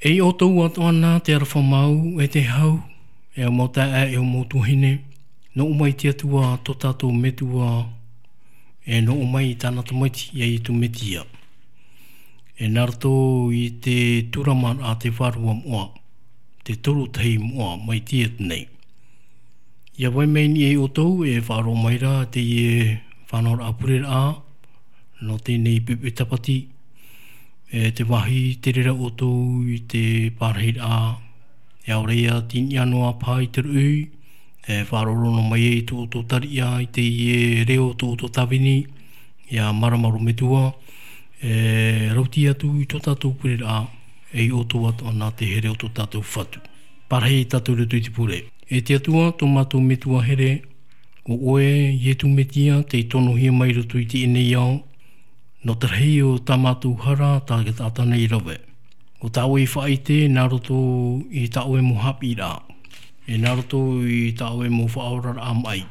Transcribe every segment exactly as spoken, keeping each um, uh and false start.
E i ʻoutou atoʻa nā te aroha mau, e te hau, e au mau taeaʻe, e au mau tuahine, nō ʻō mai te Atua tō tātou Metua, e nō ʻō mai i tāna Tamaiti, iā Ietu Metia. E nā roto i te Tūrama a te Vārua Moʻa, te toru tahi moʻa mai te atu nei. ʻIa vai mai nei ʻoutou e faʻaroʻo mai ra teie faʻanahoraʻa pureraʻa, nō teie nei pepe tāpati, e te vāhi te reira ʻoutou i te pārahiraʻa, e ʻaore ia te niʻa noa paha i te ruʻi, e faʻaroʻo noa mai ai tō ʻoutou tariʻa i teie reo tō ʻoutou tāvini, ʻia marama roa Metua, e rauti atu i tō tātou pureraʻa, e i ʻoutou atoʻa nā te here o tō tātou Fatu. Pārahi tātou i roto i te pure. E te Atua, tō mātou Metua here, ʻo ʻoe, Ietu Metia, tei tonohia mai i roto i teie nei ao, nō te rahi o tā mātou hara, tā te taʻata nei rave. ʻO tā ʻoe i faʻaʻite, nā roto i tā ʻoe mau haʻapiʻiraʻa. E nā roto i tā ʻoe mau faʻaoraraʻa maʻi.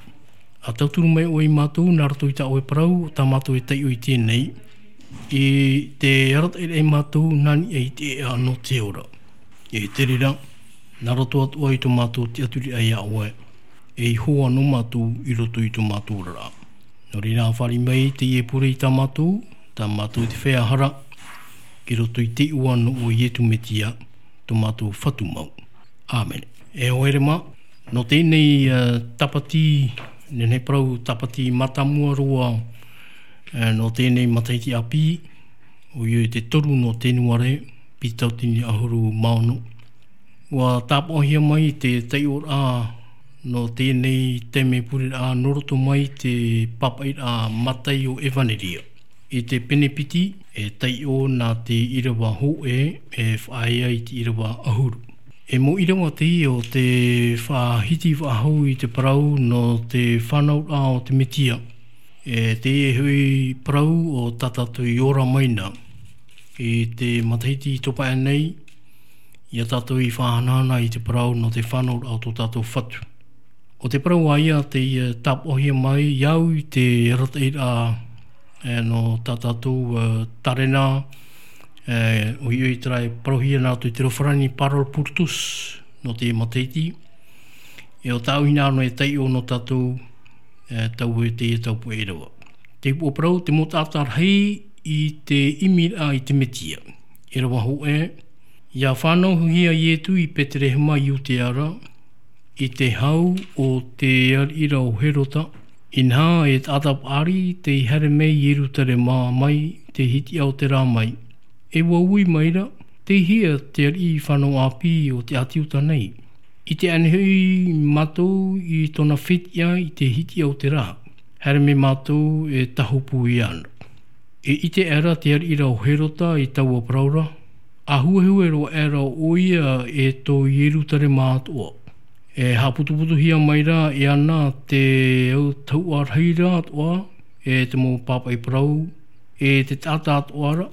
ʻA tauturu mai ʻoe iā mātou, nā roto i tā ʻoe parau, tā mātou e taiʻo i teie nei. I te arataʻi ra iā mātou, nā niʻa i te ʻēʻa nō te ora. E te reira, nā roto atoʻa i tō mātou tiʻaturiraʻa iā ʻoe, e i hoa noa mātou i roto i tō mātou oraraʻa. Nō reira, fāriʻi mai teie pure i tā mātou, tā mātou te feiā hara, i roto i te iʻoa nō ʻoe Ietu Metia, tō mātou Fatu mau. ʻĀmene. E hoa here mā, nō teie nei, e, tāpati, nehenehe parau tāpati mātāmua roa, e, nō teie nei matahiti ʻāpī, ʻoia te toru nō Tenuare, piti tauatini ʻahuru mā ono. ʻUa tāpaʻohia mai te taiʻoraʻa nō teie nei taime pureraʻa nō roto mai te pāpaʻiraʻa Mataio ʻEvaneria. I te pene piti, e taiʻo nā te ʻīrava hōʻē, e faʻaea i te ʻīrava ʻahuru. E mau ʻīrava teie o te faʻahiti faʻahou i te parau nō te fānauraʻa o te Metia. E teie hoʻi parau o tā tātou i ora mai na. I te matahiti i topa aʻe nei, ʻia tātou i faʻahanahana i te parau nō te fānauraʻa o tō tātou Fatu. ʻO te parau ā ia tei, e, tāpaʻohia mai, ʻia au i te arataʻiraʻa, e, nō tā tātou, e, tarena, e, ʻoia terā e parauhia nā roto i te reo farāni parole pour tous, nō te matahiti. E ʻo tāʻu hinaʻaro e taiʻo nō tātou, e, taua e teie tau puʻe ʻīrava. Te upoʻo parau, te mau taʻata rahi i te ʻimiraʻa i te Metia. ʻĪrava hōʻē, ʻia fānauhia Ietu i Peterehema i Iutea ra, i te hau o te ariʻi ra ʻo Herota, inaha e taʻata paʻari tei haere mai i Ierutarema mai te hitiʻa o te rā mai. E ʻua ui mai ra, tei hea te ariʻi fānau ʻāpī o te ʻāti Iuta nei? ʻIte aʻenei hoʻi mātou i tōna fetiʻa i te hitiʻa o te rā. Haere mai mātou e tāhopu iāna. E ʻite aʻera te ariʻi ra ʻo Herota i taua parau ra, ʻa huehue roa aʻera ʻoia e tō Ierutarema atoʻa. E haʻaputuputuhia mai ra iāna te autahuʻa rahi ra atoʻa, e te mau pāpaʻi parau, e te taʻata atoʻa ra,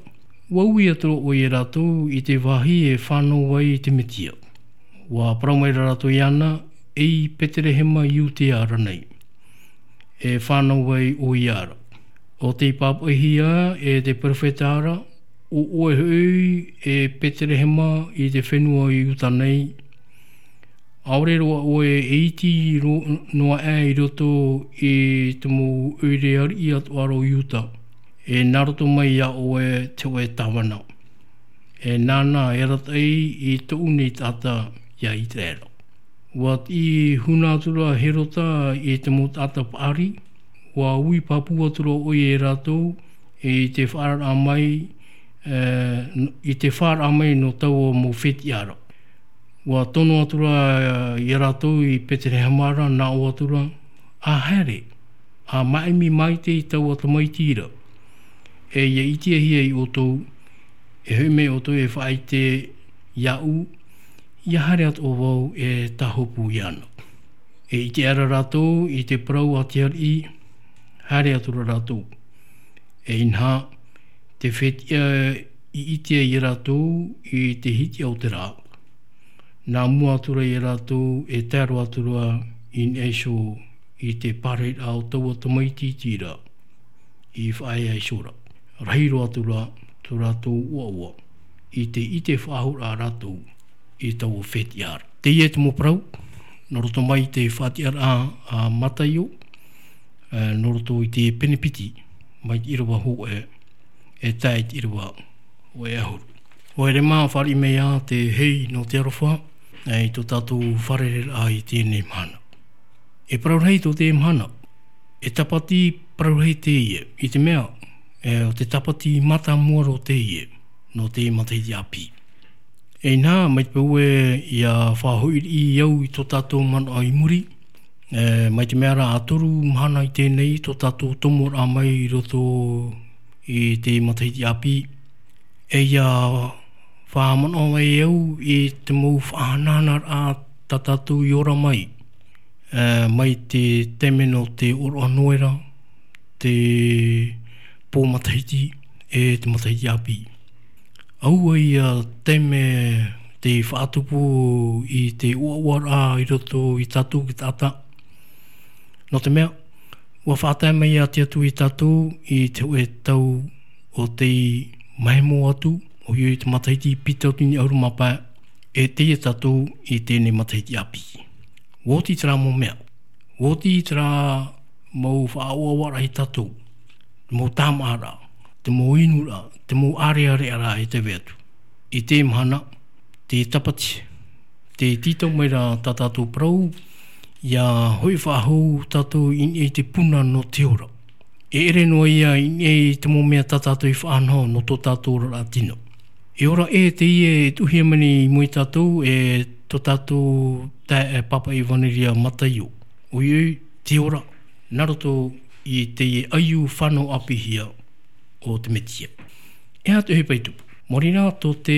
ʻua ui atu ra ʻoia ia rātou i te vāhi e fānau ai te Metia. ʻUa parau mai ra rātou iāna, e i Peterehema i Iutea ra nei. E fānau ai ʻoia ra. ʻO tei pāpaʻihia e te perofeta ra, ʻo ʻoe hoʻi e Peterehema i te fenua o Iuta nei, ʻaore roa ʻoe e iti ro-, noa aʻe i roto i te mau ʻoire ariʻi atoʻa ra o Iuta, e nā roto mai iā ʻoe te hōʻē tāvana. E nāna e arataʻi i tōʻu nei taʻata iā Iteraera. ʻUa tiʻi huna atu ra Herota i te mau taʻata paʻari, ʻua ui pāpū atu ra ʻoia ia rātou i te faʻaararaʻa mai, e, i te faʻaararaʻa mai nō taua mau fetiʻa ra. ʻUa tono atu ra ia rātou i Peterehema ra, nā ʻō atu ra, ʻA haere, ʻa māʻimi maite i taua tamaiti ra. E ʻia ʻitehia iā ʻoutou, e hoʻi mai ʻoutou e faʻaʻite iāʻu, ʻia haere atoʻa vau e tāhopu iāna. E ʻite aʻera rātou i te parau a te ariʻi, haere atu ra rātou. E inaha, te fetiʻa i ʻitea ia rātou i te hitiʻa o te rā. Nā mua atu ra ia rātou e tae roa atu ra i niʻa iho i te pārahiraʻa o taua tamaiti iti ra i faʻaea iho ra. Rahi roa atu ra tō rātou ʻoaʻoa. i te ʻite faʻahou rā rātou i taua fetiʻa ra. Teie te mau parau, nō roto mai i te faʻatiʻaraʻa a Mataio, e, nō roto i te pene piti, mai te ʻīrava hōʻē, e tae i te ʻīrava hōʻē ʻahuru. ʻOia rā mā, fāriʻi mai ā te hei nō te aroha, e, i tō tātou fārerei-raʻa i teie mahana. E parau rahi tō teie mahana, e tāpati parau rahi teie, i te mea, e, ʻo te tāpati mātāmua roa teie, nō te matahiti ʻāpī. E inā, mai te peu ē, ʻia faʻahoʻi au i tō tātou manaʻo i muri, e, mai te mea rā ʻa toru mahana i teie nei tō tātou tomoraʻa mai i roto i te matahiti ʻāpī, e ʻia faʻamanaʻo mai au i te mau faʻahanahanaraʻa tā tātou i ora mai, e, mai te taime nō te ʻōroʻa Noera, te pō matahiti, e te matahiti ʻāpī. ʻAua ïa taime tei faʻatupu i te ʻoaʻoaraʻa i roto ia tātou te taʻata. Nō te mea, ʻua faʻatae mai ā te Atua ia tātou i te hōʻē tau o tei mahemo atu, ʻoia hoʻi te matahiti piti tauatini ʻahuru mā pae, e teie tātou i teie matahiti ʻāpī. ʻUa oti terā mau mea. ʻUa oti terā mau faʻaʻoaʻoaraʻa ia tātou. Te mau tāmāʻaraʻa, te mau inuraʻa, te mau ʻārearearaʻa e tē vai atu. I teie mahana, te tāpati, tē tītau mai ra tā tātou parau, ʻia hoʻi faʻahou tātou i niʻa i te puna nō te ora. E ʻere noa ïa i niʻa i te mau mea tā tātou i faʻanaho nō tō tātou oraraʻa tino. E ora ʻē teie e tuʻuhia mai nei i mua ia tātou, e tō tātou taeaʻe Pāpaʻi ʻEvaneria Mataio. ʻOia hoʻi, te ora, nā roto i teie ʻaiū fānau ʻāpīhia o te Mesia. E aha te ʻohipa i tupu? Mōrī rā tō te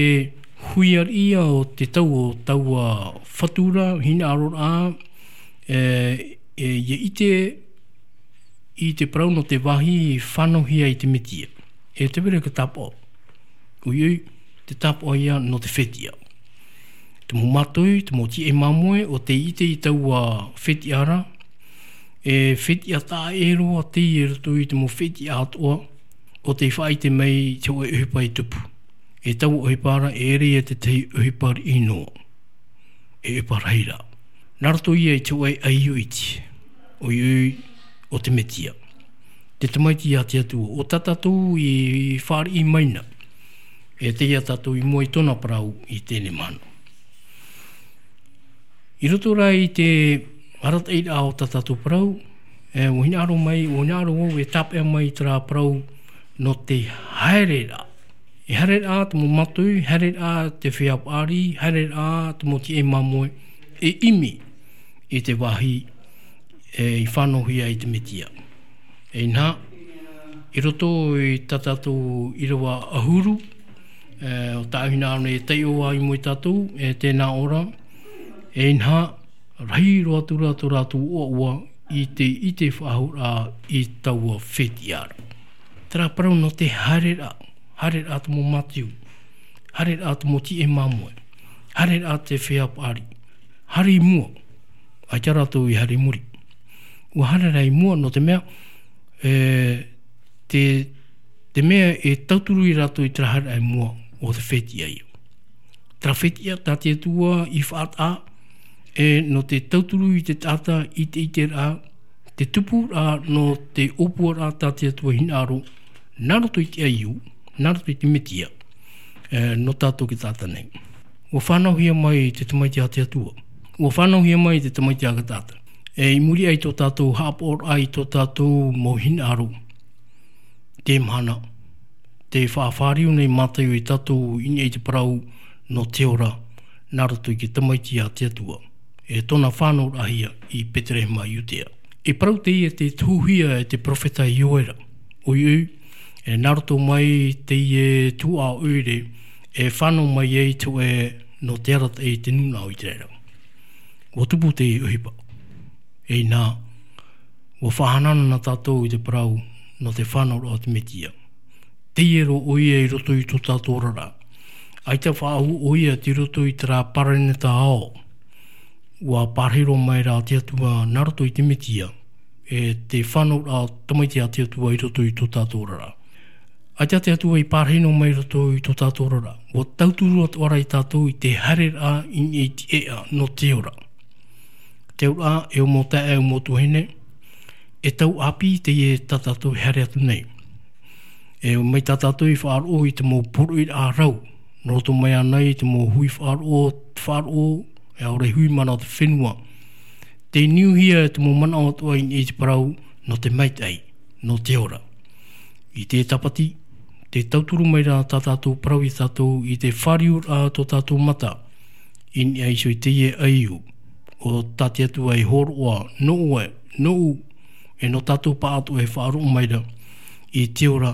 hui ariʻi ïa o te tau o taua fatu ra, hinaʻaroraʻa, e, e, ʻia ʻite i te parau nō te vāhi fānauhia i te Mesia. E tē vai ra te tāpaʻo. ʻOia hoʻi, te tāpaʻo ïa nō te fetiʻa. Te mau mātohi, te mau tiʻai māmoe, ʻo tei ʻite i taua fetiʻa ra, e fetiʻa taʻa ʻē roa teie i roto i te mau fetiʻa atoʻa, ʻo tei faʻaʻite mai i te hōʻē ʻohipa i tupu. E taua ʻohipa ra, e ʻere ïa te tahi ʻohipa riʻi noa. E ʻohipa rahi ra. Nā roto ïa i te hōʻē ʻaiū iti, ʻoia hoʻi, ʻo te Mesia. Te Tamaiti a te Atua, ʻo tā tātou i fāriʻi mai na. E tei ia tātou i mua i tōna parau i teie mahana. I roto rā i te arataʻiraʻa o tā tātou parau, e, ʻua hinaʻaro mai, ʻua hinaʻaro vau e tāpeʻa mai terā parau nō te haereraʻa. E haereraʻa te mau mātohi, haereraʻa te feiā paʻari, haereraʻa te mau tiʻai māmoe, e ʻimi i te vāhi, e, i fānauhia i te Mesia. E inaha, i roto i tā tātou ʻīrava ʻahuru, e, ʻo tāʻu hinaʻaro nei e taiʻo ā i mua ia tātou, e tēnā ʻō ra, e inaha, rahi roa atu ra tō rātou ʻoaʻoa i te ʻite faʻahou ra i taua fetiʻa ra. Terā parau nō te haereraʻa, haereraʻa te mau mātohi, haereraʻa te mau tiʻai māmoe, haereraʻa te feiā paʻari, haere i mua, ʻaita rātou i haere i muri. ʻUa haere rā i mua, nō te mea, e, te, te mea e tauturu ia rātou i terā haereraʻa i mua, ʻo te fetiʻa ïa. Terā fetiʻa tā te Atua i faʻataʻa, e, nō te tauturu i te taʻata i te ʻiteraʻa, te tupuraʻa nō te ʻōpuaraʻa tā te Atua i hinaʻaro, nā roto i te ʻaiū, nā roto i te Mesia, e, nō tātou te taʻata nei. ʻUa fānauhia mai te Tamaiti a te Atua. ʻUa fānauhia mai te Tamaiti a te taʻata. E, i muri aʻe i tō tātou haʻapaʻoraʻa i tō tātou mau hinaʻaro. Teie mahana, tē faʻafāriu nei Mataio ia tātou i niʻa i te parau nō te ora, nā roto i te Tamaiti a te Atua, e tōna fānauraʻahia i Peterehema Iudea. E parau teie tē tuhuhia e te perofeta Ioera. ʻOia hoʻi, e nā roto mai teie tuhaʻa ʻoire, e fānau mai ai te hōʻē nō te arataʻi i te nūnaʻa o Iteraera. ʻUa tupu te ʻohipa. E inaha, ʻua faʻahanahana tātou i te parau nō te fānauraʻa o te Mesia. Teie roa ʻoia i roto i tō tātou oraraʻa. ʻAita faʻahou ʻoia tei roto i terā paraneta ao. ʻUa pārahi roa mai rā te Atua nā roto i te Mesia, e te fānauraʻa tamaiti a te Atua i roto i tō tātou oraraʻa. ʻAita te Atua i pārahi noa mai roto i tō tātou oraraʻa. ʻUa tauturu atu ʻoia tātou i te haereraʻa i niʻa i te ʻēʻa nō te ora. Te auraʻa, e ʻo mau taeaʻe, e ʻo mau tuahine, e tau ʻāpī teie tā tātou e haere atu nei. E mai tā tātou i faʻaroʻo i te mau poroʻi rau, nō roto mai ānei i te mau hui faʻaroʻo, faʻaroʻo, e ʻaore hui mana o te fenua. Tei niuhia e te mau manaʻo atoʻa i niʻa i te parau, nō te maitaʻi, nō te ora. I te tāpati, tē tauturu mai ra tā tātou parau ia tātou i te fāriuraʻa tō tātou mata, i niʻa iho i teie ʻaiū, ʻo tā te Atua e hōroʻa, nō ʻoe, nōʻu, e nō tātou pāʻatoʻa e faʻaroʻo mai ra, i te ora,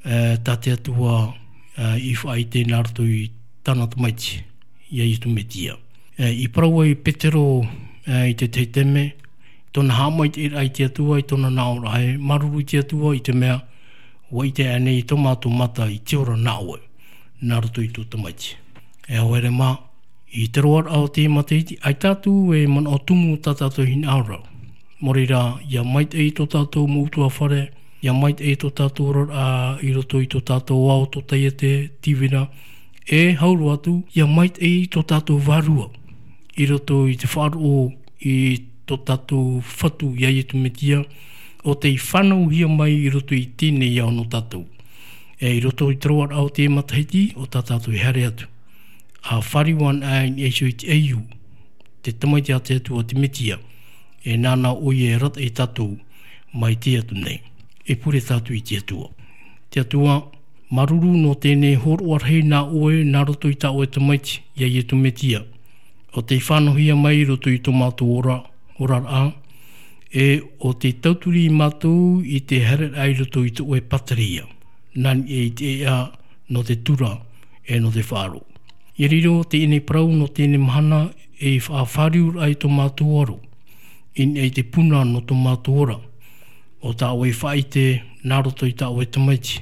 e, tā te Atua, e, i faʻaʻite nā roto i tāna tamaiti, ia Iesu Mesia. E, i parau ai Petero, e, i te tahi taime, tōna haʻamaitaʻiraʻa i te Atua, i tōna nāʻōraʻa, e māuruuru i te Atua, i te mea, ʻua ʻite aʻenei tō mātou mata i te ora nā ʻoe, nā roto i tō tamaiti. E haere mā, i te roaraʻa o te matahiti, ʻaita atu e manaʻo tumu tā tātou hinaʻaro. Nō reira, ʻia maitaʻi tō tātou mau ʻutuāfare, ʻia maitaʻi tō tātou oraraʻa i roto i tō tātou ao, tō taiete, tīvira, e hau roa atu, ʻia maitaʻi tō tātou vārua, i roto i te faʻaroʻo i tō tātou Fatu ia Iesu Mesia, ʻo tei fānauhia mai i roto i teie nei ao nō tātou. E i roto i te roaraʻa o te matahiti, ʻo tā tātou e haere atu. ʻA fāriu anaʻe i niʻa iho i te ʻaiū, te tamaiti a te Atua te Mesia, e nāna ʻoia e arataʻi ia tātou, mai teie atu nei. E pure tātou i te Atua. Te Atua, māuruuru nō teie hōroʻa rahi nā ʻoe, nā roto i tā ʻoe tamaiti, ia Iesu Mesia. ʻO tei fānauhia mai i roto i tō mātou ora, oraraʻa, e ʻo tei tauturu ia mātou i te haereraʻa i roto i tō ʻoe pātireia. Nā niʻa i te ʻēʻa nō te tura, e nō te faʻaroʻo. ʻIa riro teie parau nō teie mahana, e faʻafāriuraʻa i tō mātou aro. I niʻa i te puna nō tō mātou ora. ʻO tā ʻoe faʻaʻite, nā roto i tā ʻoe tamaiti.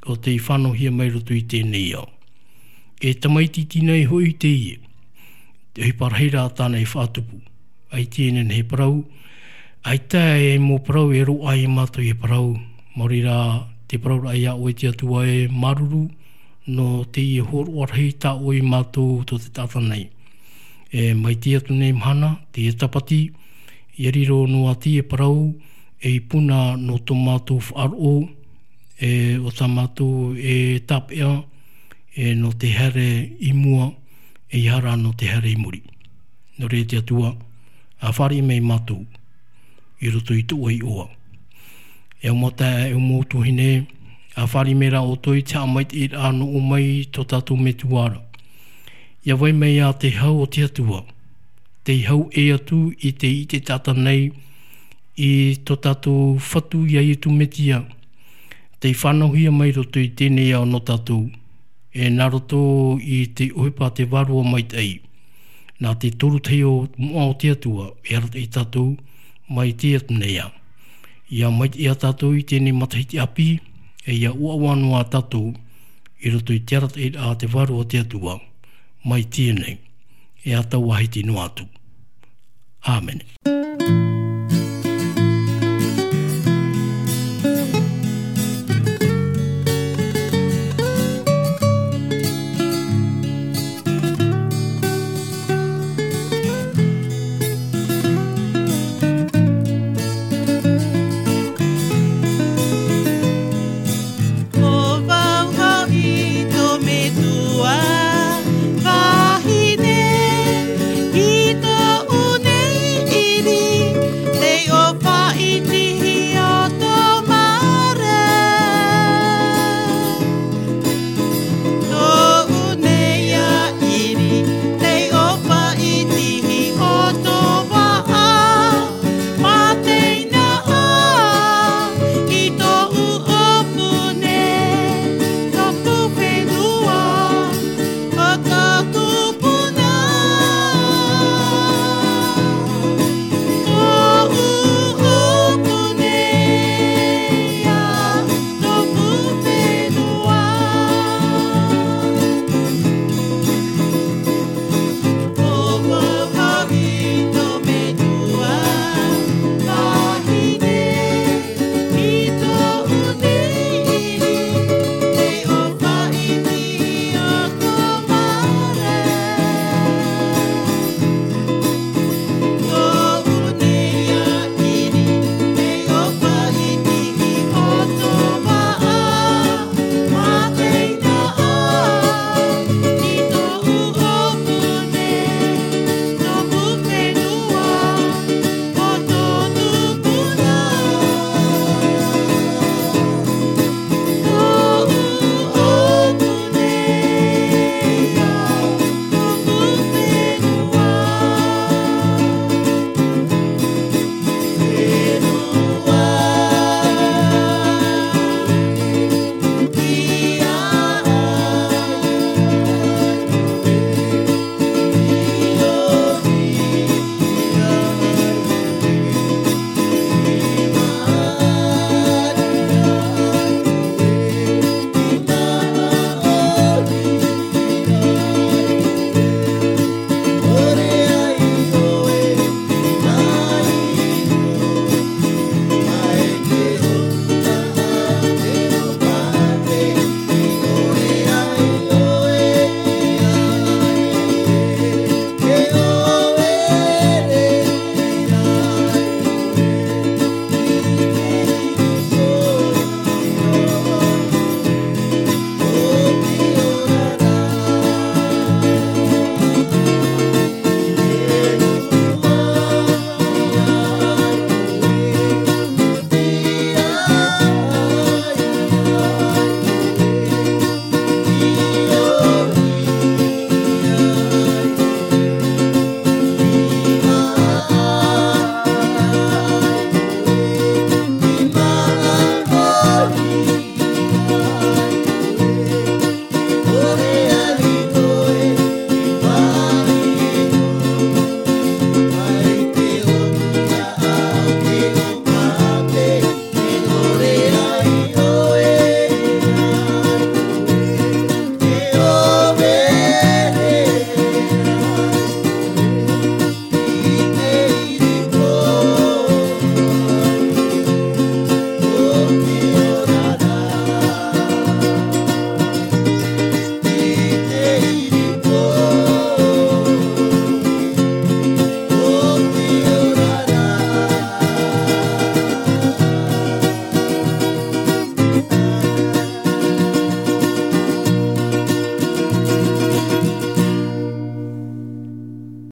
ʻO tei fānauhia mai roto i teie ao. E tamaiti iti nei hoʻi teie. Te ʻohipa rahi rā tāna i faʻatupu. ʻAita e nehenehe e parau, ʻaita e mau parau e roaʻa ia mātou e parau. Maori rā te parauraʻa ia ʻoe te Atua e māuruuru, nō teie hōroʻa rahi tā ʻoe ia mātou tō te taʻata nei. E mai teie atu nei mahana, teie tāpati, ʻia riro noa teie parau, ei puna nō tō mātou faʻaroʻo, e ʻo tā mātou e tāpeʻa, e nō te haere i mua, e ʻeiaha rā nō te haere i muri. Nō reira te Atua, ʻa fāriʻi mai ia mātou, i roto i tō ʻoe iʻoa. E ʻo mau taeaʻe, e ʻo mau tuahine, ʻa fāriʻi mai rā ʻoutou i te haʻamaitaʻiraʻa nō ʻō mai tō tātou Metua ra. ʻIa vai mai ā te hau o te Atua, tei hau ʻē atu i te, i te taʻata nei, i tō tātou Fatu ia Iesu Mesia, tei fānauhia mai roto i teie ao nō tātou, e nā roto i te ʻohipa te Vārua Maitaʻi. Nā te toru tahi o moʻa o te Atua, e arataʻi ia tātou, mai teie atu nei ā. ʻIa maitaʻi ia tātou i teie matahiti ʻāpī, e ʻia ʻoaʻoa noa tātou, i roto i te arataʻiraʻa te Vārua o te Atua, mai teie nei, e ʻa tau ʻāhiti noa atu. ʻĀmene.